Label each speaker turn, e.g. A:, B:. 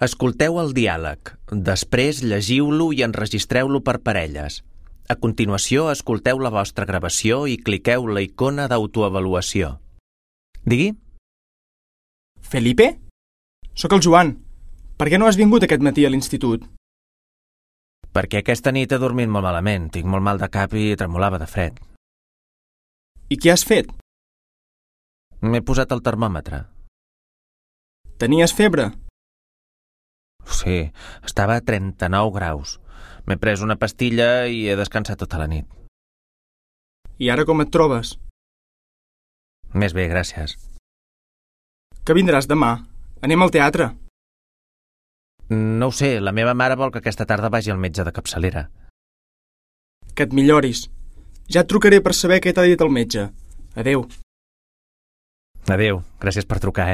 A: Escolteu el diàleg. Després llegiu-lo i enregistreu-lo per parelles. A continuació, escolteu la vostra gravació i cliqueu la icona d'autoavaluació. Digui?
B: Felipe? Sóc el Joan. Per què no has vingut aquest matí a l'institut?
A: Perquè aquesta nit he dormit molt malament. Tinc molt mal de cap i tremolava de fred.
B: I què has fet?
A: M'he posat el termòmetre.
B: Tenies febre?
A: Sí, estava a 39 graus. M'he pres una pastilla i he descansat tota la nit.
B: I ara com et trobes?
A: Més bé, gràcies.
B: Que vindràs demà? Anem al teatre.
A: No ho sé, la meva mare vol que aquesta tarda vagi al metge de capçalera.
B: Que et milloris. Ja et trucaré per saber què t'ha dit el metge. Adéu.
A: Adéu, gràcies per trucar,